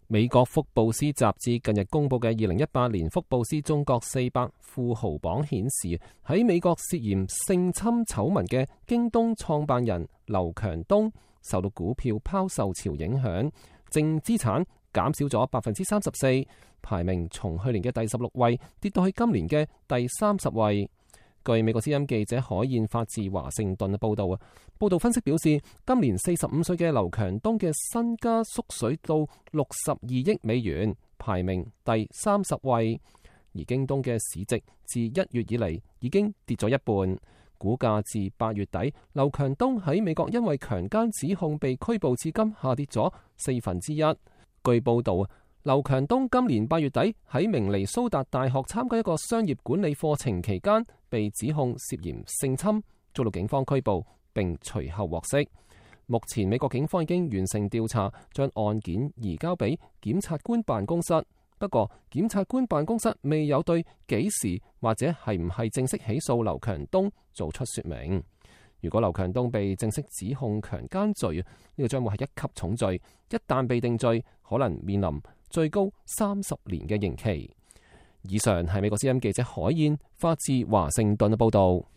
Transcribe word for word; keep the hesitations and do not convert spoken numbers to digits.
美國福布斯雜誌近日公布嘅二零一八年福布斯中國四百富豪榜顯示，喺美國涉嫌性侵醜聞嘅京東創辦人劉強東受到股票拋售潮影響，淨資產減少咗百分之三十四，排名從去年嘅第十六位跌到去今年嘅第三十位。據美國之音記者海燕發自華盛頓嘅報道啊，報道分析表示，今年四十五歲嘅劉強東嘅身家縮水到六十二億美元，排名第三十位。而京東嘅市值自一月以嚟已經跌咗一半，股價自八月底，劉強東喺美國因為強姦指控被拘捕至今下跌咗四分之一。據報道，劉強東今年八月底喺明尼蘇達大學參加一個商業管理課程期間，被指控涉嫌性侵，遭到警方拘捕，並隨後獲釋。目前美國警方已經完成調查，將案件移交俾檢察官辦公室。不過，檢察官辦公室未有對幾時或者係唔係正式起訴劉強東做出說明。如果劉強東被正式指控強姦罪，呢個將會係一級重罪，一旦被定罪，可能面臨最高三十年嘅刑期。以上係美國之音記者海燕發自華盛頓嘅報道。